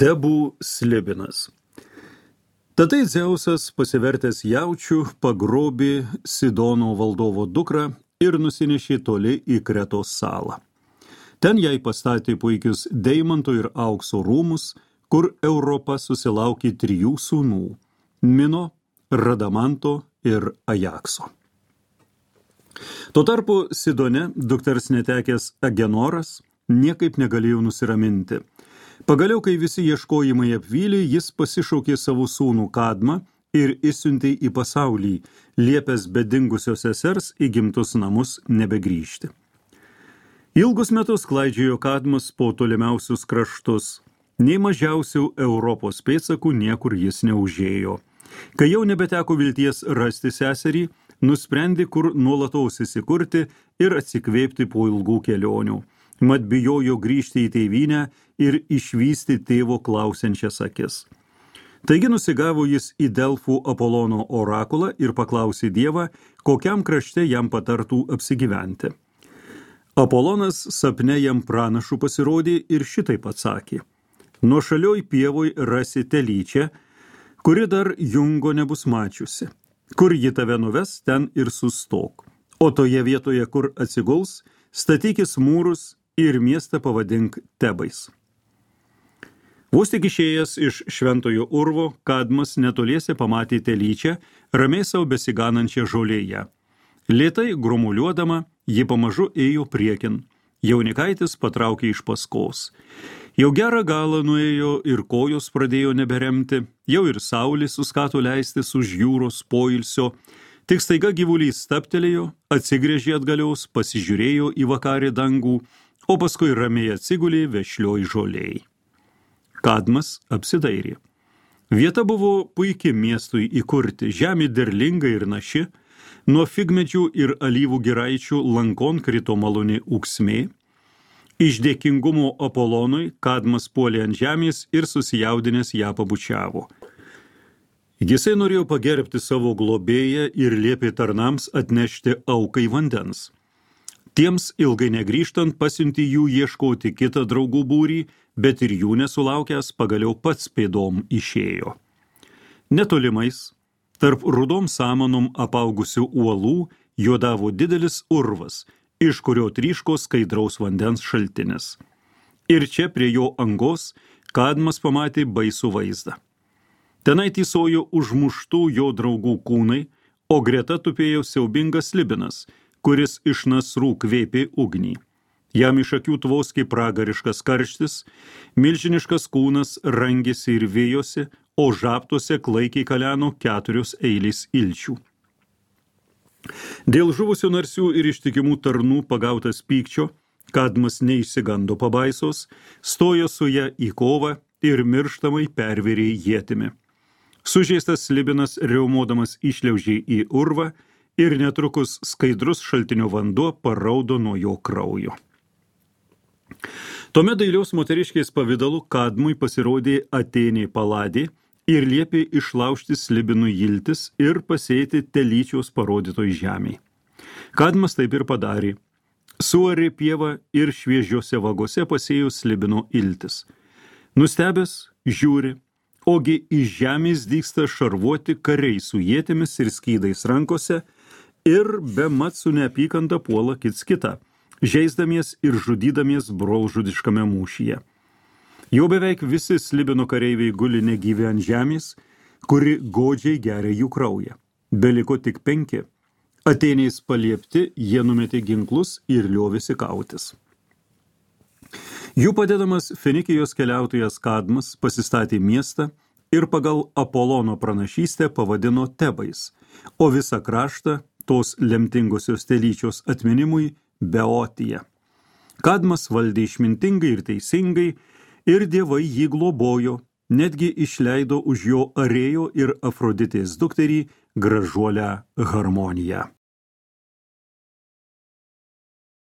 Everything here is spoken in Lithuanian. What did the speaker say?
Tebų Slibinas. Tatai Dzeusas, pasivertęs jaučių, pagrobė Sidono valdovo dukrą ir nusinešė toli į Kretos salą. Ten jai pastatė puikius deimanto ir aukso rūmus, kur Europa susilaukė 3 sūnų – Mino, Radamanto ir Ajakso. Tuo tarpu Sidone dukters netekęs Agenoras niekaip negalėjo nusiraminti. Pagaliau, kai visi ieškojimai apvylė, jis pasišaukė savo sūnų Kadmą ir išsiuntė į pasaulį, liepęs be dingusios sesers į gimtus namus nebegrįžti. Ilgus metus klaidžiojo Kadmas po tolimiausius kraštus, nei mažiausių Europos pėdsakų niekur jis neužėjo. Kai jau nebeteko vilties rasti seserį, nusprendė kur nuolatos įsikurti ir atsikvėpti po ilgų kelionių. Mat bijojo grįžti į tėvynę ir išvysti tėvo klausiančias akis. Taigi nusigavo jis į Delfų Apolono orakulą ir paklausė Dievą, kokiam krašte jam patartų apsigyventi. Apolonas sapne jam pranašų pasirodė ir šitaip atsakė: nuošalioj pievoj rasi telyčią, kuri dar jungo nebus mačiusi. Kur ji tave nuves, ten ir sustok. O toje vietoje, kur atsiguls, statykis mūrus ir miestą pavadink Tebais. Vos tik išėjęs iš šventojo urvo, Kadmas netoliese pamatė telyčią, ramiai savo besiganančią žolėje. Lėtai grumuliuodama, ji pamažu ėjo priekin. Jaunikaitis patraukė iš paskos. Jau gerą galą nuėjo ir kojos pradėjo neberemti, jau ir saulė suskato leistis už jūros poilsio. Tik staiga gyvulys stabtelėjo, atsigręžė atgalios, pasižiūrėjo į vakarį dangų, o paskui ramiai atsigulė vešlioj žolėj. Kadmas apsidairė. Vieta buvo puiki miestui įkurti, žemė derlinga ir naši, nuo figmedžių ir alyvų giraičių lankon krito maloni ūksmė. Iš dėkingumo Apolonui Kadmas puolė ant žemės ir susijaudinęs ją pabučiavo. Jisai norėjo pagerbti savo globėją ir liepė tarnams atnešti aukai vandens. Tiems ilgai negrįžtant pasiuntė jų ieškoti kitą draugų būrį, bet ir jų nesulaukęs pagaliau pats pėdom išėjo. Netolimais, tarp rudom samanom apaugusių uolų, juodavo didelis urvas, iš kurio tryško skaidraus vandens šaltinis. Ir čia prie jo angos Kadmas pamatė baisų vaizdą. Tenai tysojo užmuštų jo draugų kūnai, o greta tupėjo siaubingas Slibinas, kuris iš nasrų kvėpė ugnį. Jam iš akių tvoskė pragariškas karštis, milžiniškas kūnas rangėsi ir vėjosi, o žabtuose klaikiai kaleno 4 eilės ilčių. Dėl žuvusių narsių ir ištikimų tarnų pagautas pykčio, Kadmas neišsigando pabaisos, stojo su ja į kovą ir mirštamai pervėrė ietimi. Sužeistas Slibinas riaumodamas išliaužė į urvą ir netrukus skaidrus šaltinio vanduo paraudo nuo jo kraujo. Tuomet dailios moteriškės pavidalu Kadmui pasirodė Atėnė Paladė ir liepė išlaužti Slibinui iltis ir pasėti telyčios parodytoj žemėj. Kadmas taip ir padarė. Suarė pievą ir šviežiose vagose pasėjo Slibino iltis. Nustebęs žiūri, ogi iš žemės dygsta šarvuoti kariai su ietimis ir skydais rankose ir bemat su neapykanta puola kits kitą, žeisdamies ir žudydamies brolžudiškame mūšyje. Jau beveik visi Slibino kareiviai guli negyvi ant žemės, kuri godžiai geria jų kraują. Beliko tik 5. Atėnės paliepti, jie numetė ginklus ir liovėsi kautis. Jų padedamas Fenikijos keliautojas Kadmas pasistatė miestą ir pagal Apolono pranašystę pavadino Tebais, o visą kraštą tos lemtingosios telyčios atminimui Beotija. Kadmas valdė išmintingai ir teisingai, ir dievai jį globojo, netgi išleido už jo Arėjo ir Afroditės dukterį gražuolę Harmoniją.